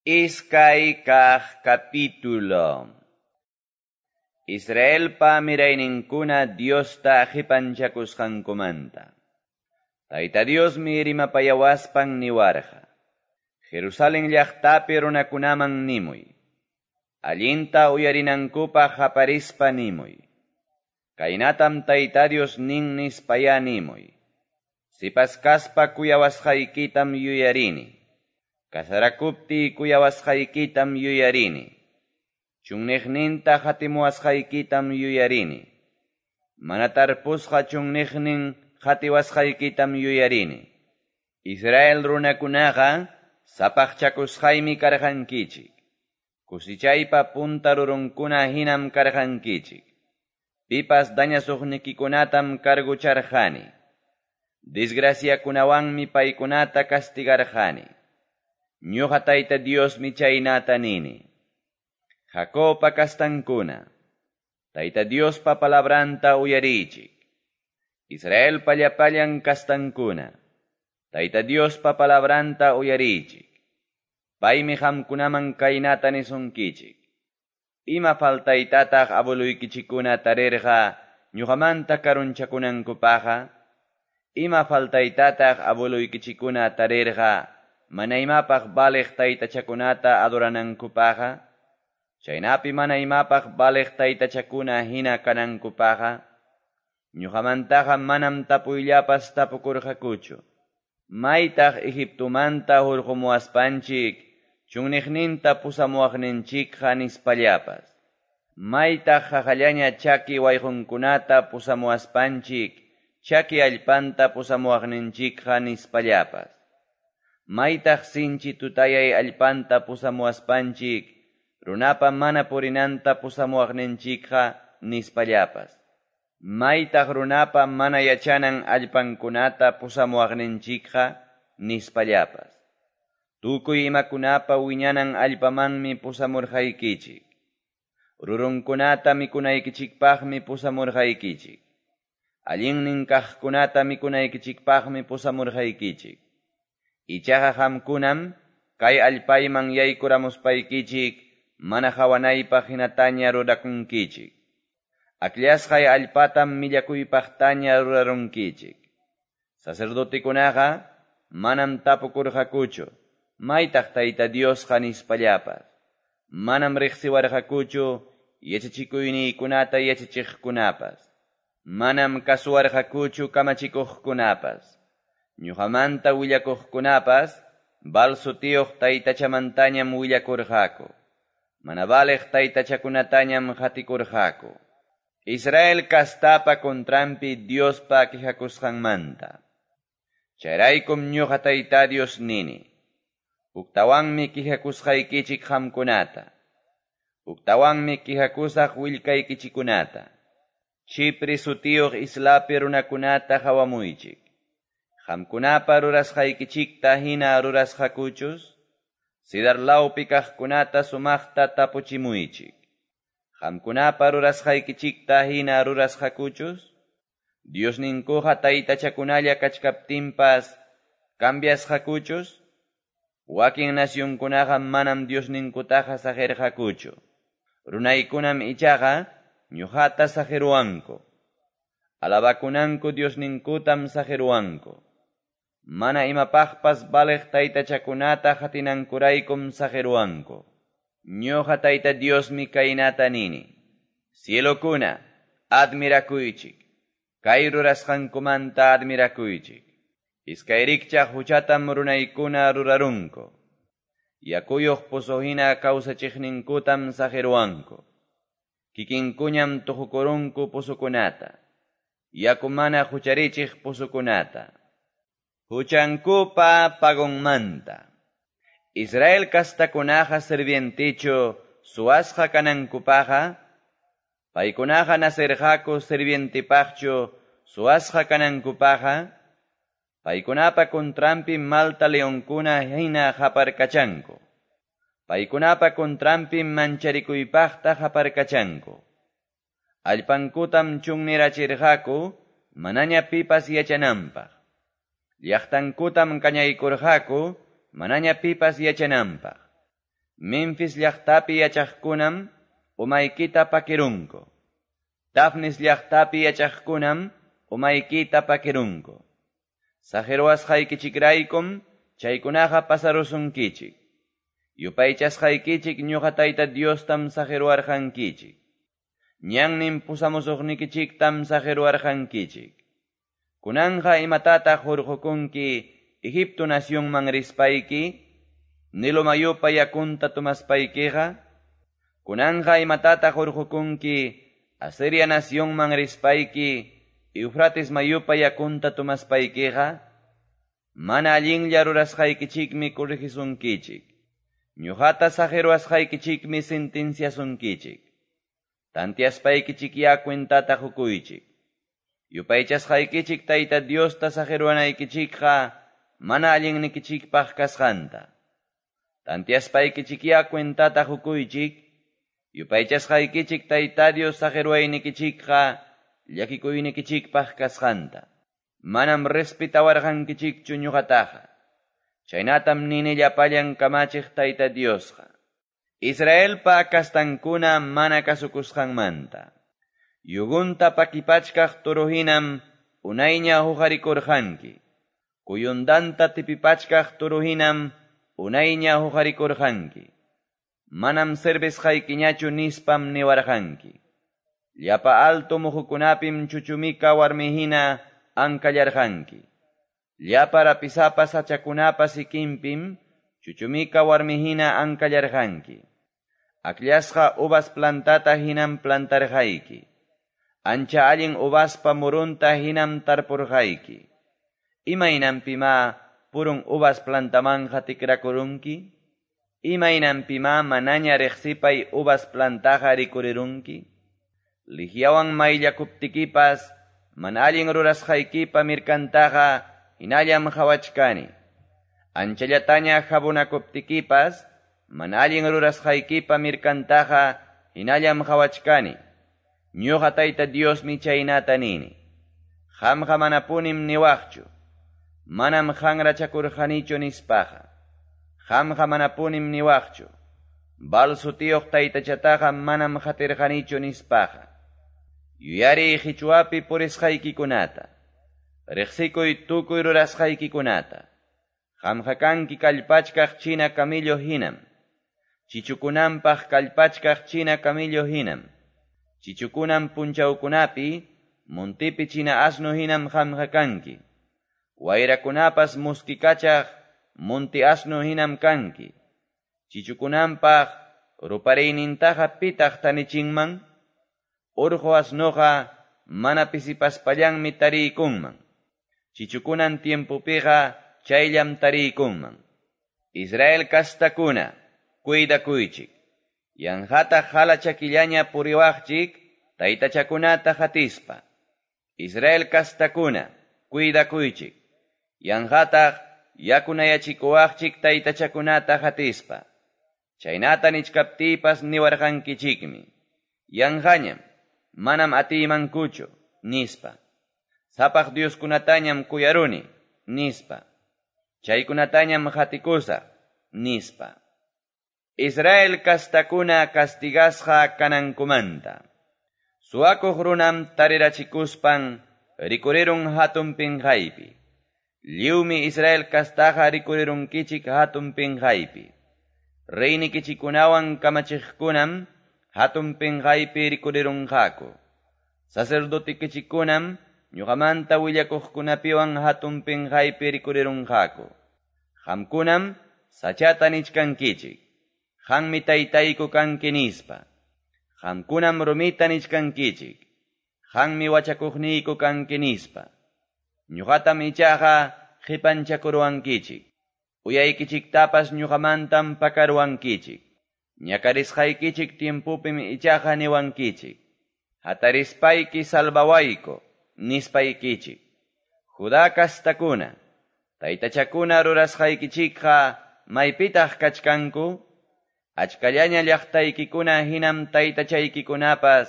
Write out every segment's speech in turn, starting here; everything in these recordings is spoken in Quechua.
Iskay kaq capítulo. Israelpa mirayninkuna Diosta qipanchakusqankumanta. Tayta Diosmi rimapayawaspan niwarqa. Jerusalén llaqtapi runakunaman nimuy. Allinta uyarinankupaq qaparispa nimuy. Kaynatam Tayta Dios nin nispaya nimuy. Sipas kaspa kuyawasqaykitam yuyarini. Kasarakuptiy kuyawasqaykitam yuyarini. Chunniqninta qatimuwasqaykitam yuyarini. Mana tarpusqa chunniqnin qatiwasqaykitam yuyarini. Israel runakunaqa sapaqchakusqaymi karqankichik. Kusichaypa punta rurunkuna hinam karqankichik. Pipas dañasuqnikikunatam cargucharqani. Desgraciakunawanmi paykunata castigarqani. Ñuqa Tayta Diosmi chaynata nini. Jacobpa kastankuna, Tayta Diospa palabranta uyarichik. Israelpa llapallan kastankuna, Tayta Diospa palabranta uyarichik. Paymi qamkunaman kaynata nisunkichik. Ima faltaytataq abueluykichikkuna tarirqa ñuqamanta karunchakunankupaqqa? Ima faltaytataq abueluykichikkuna tarirqa mana imapaq valiq taytachakunata adoranankupaqqa? Chaynapi mana imapaq valiq taytachakuna hina kanankupaqqa? Ñuqamantaqa manam tapuyllapas tapukurqakuchu. Maytaq Egiptomanta hurqumuwaspanchik chunniqninta pusamuwaqninchikqa nispallapas. Maytaq qaqallaña chaki wayqunkunata pusamuwaspanchik chaki allpanta pusamuwaqninchikqa nispallapas. Maytaq sinchi tutayay allpanta pusamuwaspanchik runapa mana purinanta pusamuwaqninchikqa nispallapas. Maytaq runapa mana yachanan allpankunata pusamuwaqninchikqa nispallapas. Tukuy imakunapa wiñanan allpamanmi pusamurqaykichik. Rurunkunata mikunaykichikpaqmi pusamurqaykichik. Allinnin kaqkunata mikunaykichikpaqmi pusamurqaykichik. Ichaqa qamkunam kay allpayman yaykuramuspaykichik mana qawanaypaq hinataña rurakunkichik. Akllasqay allpatam millakuypaqtaña rurarunkichik. Sacerdotekunaqa manam tapukurqakuchu, maytaq Tayta Diosqa nispallapas. Manam riqsiwarqakuchu yachachikuyniykunata yachachiqkunapas. Manam kasuwarqakuchu kamachikuqkunapas. Ñuqamanta willakuqkunapas Baal sutiyuq taytachamantañam willakurqaku. Mana valiq taytachakunatañam qatikurqaku. Israel kastapa contranpi Diospa quejakusqanmanta. Chayraykum ñuqa Tayta Dios nini. Huktawanmi quejakusqaykichik qamkunata. Huktawanmi quejakusaq willkaykichikunata. Chipre sutiyuq islapi runakunata qawamuychik. Qamkunapa rurasqaykichikta hina rurasqakuchus? Sidar lawpi kaqkunata sumaqta tapuchimuychik. Qamkunapa rurasqaykichikta hina rurasqakuchus? Diosninkuqa taytachakunalla kachkaptinpas cambiasqakuchus? Wakin nacionkunaqa manam Diosninkutaqa saqirqakuchu. Runaykunam ichaqa ñuqata saqiruwanku. Alabakunanku Diosninkutam saqiruwanku. Mana imapaqpas valiq taytachakunata qatinankuraykum saqiruwanku. Ñuqa Tayta Diosmi kaynata nini. Cielokuna, admirakuychik. Kay rurasqankumanta admirakuychik. Iskay rikchaq huchatam runaykuna rurarunku. Yakuyuq pozo hina kawsachiqninkutam saqiruwanku. Kikinkuñam tuqukurunku pozokunata. Yaku mana hucharichiq pozokunata. Huchankupa pagonmanta. Israel kastakunaqa sirvientichu suwasqa kanankupaqa, paykunaqa nasirqaku sirvientipaqchu suwasqa kanankupaqa, paykunapa contranpi malta leonkuna hina qaparkachanku. Paykunapa contranpi mancharikuypaqta qaparkachanku. Allpankutam chunnirachirqaku manaña pipas yachananpaq. Llaqtankutam kañaykurqaku manaña pipas yachananpaq. Memphis llaqtapi yachaqkunam umaykita pakirunku. Tafnis llaqtapi yachaqkunam umaykita pakirunku. Saqirwasqaykichikraykum chaykunaqa pasarusunkichik. Yupaychasqaykichik ñuqa Tayta Diostam saqirwarqankichik. Ñannin pusamusuqnikichiktam saqirwarqankichik. Kunanqa imatataq hurqukunki Egipto nacionman rispayki, Nilo mayupa yakunta tomaspaykiqa? Kunanqa imatataq hurqukunki Asiria nacionman rispayki, Eufrates mayupa yakunta tomaspaykiqa? Mana allinlla rurasqaykichikmi corrigisunkichik. Ñuqata saqirwasqaykichikmi sentenciasunkichik. Tantiaspaykichik cuentata qukuychik. Yupaychasqaykichik Tayta Diosta saqirwanaykichikqa mana allinnikichikpaq kasqanta. Tantiaspaykichik cuentata qukuychik. Yupaychasqaykichik Tayta Dios saqirwaynikichikqa llakikuynikichikpaq kasqanta. Manam respetawarqankichikchu ñuqataqa. Chaynatam nini llapallan kamachiq Tayta Diosqa. Israelpa kastankuna mana kasukusqanmanta. Yugunta pakipachkaq turuhinam unayña huqarikurqanki. Kuyundanta tipipachkaq turuhinam unayña huqarikurqanki. Manam servisqaykiñachu nispam niwarqanki. Llapa alto muhukunapim chuchumika warmihina ankallarqanki. Llapa rapisapa sachakunapa sikinpim chuchumika warmihina ankallarqanki. Akllashqa uvas plantata hinam plantarqayki. Ancha allin uvaspa murunta hinam tarpurqayki. Imaynanpimá purun uvas plantamanqa tikrakurunki? Imaynanpimá manaña riqsipay uvas plantaqa rikurirunki? Lihiawan mayllakuptikipas mana allin rurasqaykipa mirkantaqa hinallam qhawachkani. Anchallataña jabonakuptikipas mana allin rurasqaykipa mirkantaqa hinallam qhawachkani. Ñuqa Tayta Diosmi chaynata nini. Qamqa manapunim niwaqchu. Manam qanrachakurqanichu nispaqa. Qamqa manapunim niwaqchu. Baal sutiyuq taytachataqa manam qatirqanichu nispaqa. Yuyariy qichwapi purisqaykikunata. Riqsikuy tukuy rurasqaykikunata. Qamqa kanki kallpachkaq china camillo hinam. Chichukunanpaq kallpachkaq china camillo hinam. Chichukunan punchawkunapi, montipi china asno hinam qamqa kanki. Wayrakunapas muskikachaq monti asno hinam kanki. Chichukunanpaq rupariynintaqa pitaq tanichinman? Urqu asnoqa mana pisipaspallanmi tariykunman. Chichukunan tiempopiqa chayllam tariykunman. Israel kastakuna, cuidakuychik. Yanqata hala chakillaña puriwaqchik, taytachakunata hatispa. Israel kastakuna, cuidakuychik. Yanqataq yakunayachikuwaqchik taytachakunata hatispa. Chaynata nichkaptiypas niwarqankichikmi. Yanqañam, manam atiymankuchu, nispa. Sapaq Dioskunatañam kuyaruni, nispa. Chaykunatañam qatikusaq, nispa. Israel kastakuna kastigasqa kanankumanta. Suwakuq runam tarirachikuspan rikurirun hatun pinqaypi. Lliwmi Israel kastaqa rikurirunkichik hatun pinqaypi. Reynikichikunawan kamachiqkunam hatun pinqaypi rikurirunqaku. Sacerdotikichikunam ñuqamanta willakuqkunapiwan hatun pinqaypi rikurirunqaku. Qamkunam sachata nichkankichik. Qanmi taytayku kanki nispa. Qamkunam rumita nichkankichik. Qanmi wachakuqniyku kanki nispa. Ñuqatam ichaqa qipanchakuruwankichik. Uyaykichiktapas ñuqamantam pakaruwankichik. Ñakarisqaykichik tiempopim ichaqa niwankichik. Hatarispayki salvawayku, nispaykichik. Judá kastakuna, taytachakuna rurasqaykichikqa maypitaq kachkanku? Achkallaña llaqtaykikuna hinam taytachaykikunapas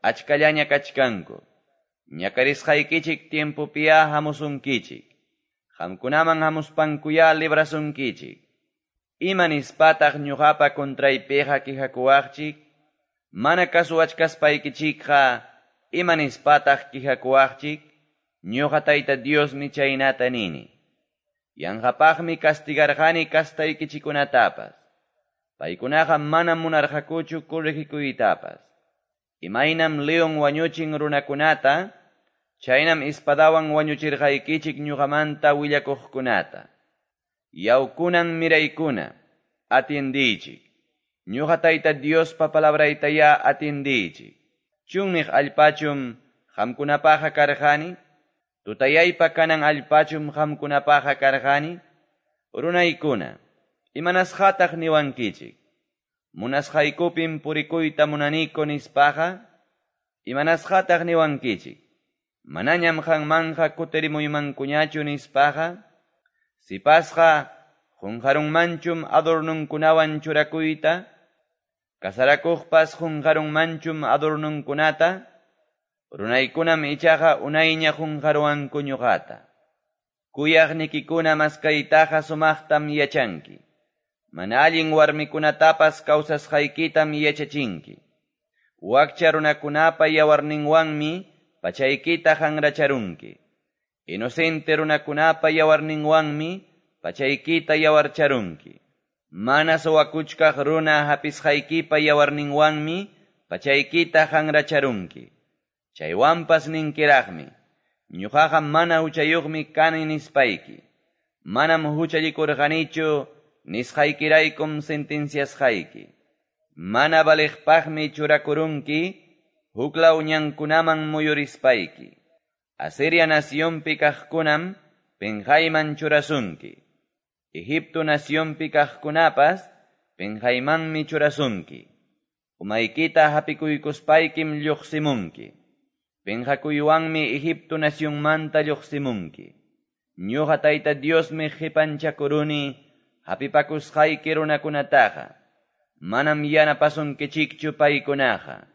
achkallaña kachkanku. Ñakarisqaykichik tiempopiya hamusunkichik. Qamkunaman hamuspankuyá librasunkichik. Ima nispataq ñoqapa contraypiqa quejakuwaqchik? Mana kasuwachkaspaykichikqa, ima nispataq quejakuwaqchik? Ñoqa Tayta Diosmi chaynata nini. Yanqapaqmi castigarqani castaykichikkunatapas. Paykunaqa manam munarqakuchu corregikuytapas. Imaynam leon wañuchin runakunata, chaynam espadawan wañuchirqaykichik ñoqamanta willakuqkunata. Yaw kunan miraykuna, atiendiychik. Ñoqa Tayta Diospa palabraytayá atiendiychik. Chunniq allpachum qamkunapaqa karqani, tutayaypa kanan allpachum qamkunapaqa karqani, runaykuna, imanasqataq niwankichik. Munasqaykupim purikuyta munaniku nispaqa, imanasqataq niwankichik. Manañam qanmanqa kutirimuymankuñachu nispaqa, sipasqa qunqarunmanchum adornunkunawan churakuyta, kasarakuqpas qunqarunmanchum adornunkunata, runaykunam ichaqa unayña qunqaruwanku ñuqata. Kuyaqnikikuna maskaytaqa sumaqtam yachanki. Mana allin warmikunatapas kawsasqaykitam yachachinki. Wakcha runakunapa yawarninwanmi pachaykita hanracharunki. Inocente runakunapa yawarninwanmi pachaykita yawarcharunki. Mana suwakuchkaq runa hapisqaykipa yawarninwanmi pachaykita hanracharunki. Chaywanpas ninkiraqmi, ñuqaqa mana huchayuqmi kani nispayki. Manam huchallikurqanichu nisqaykiraykum sentenciasqayki. Mana valiqpaqmi churakurunki, huklaw ñankunaman muyurispayki. Asiria nacionpi kaqkunam penqayman churasunki. Egipto nacionpi kaqkunapas penqaymanmi churasunki. Umaykita hapikuykuspaykim lluqsimunki. Penqakuywanmi Egipto nacionmanta lluqsimunki. Ñuqa Tayta Diosmi qipanchakuruni hapipakusqayki runakunataqa. Manam yanapasunkichikchu paykunaqa.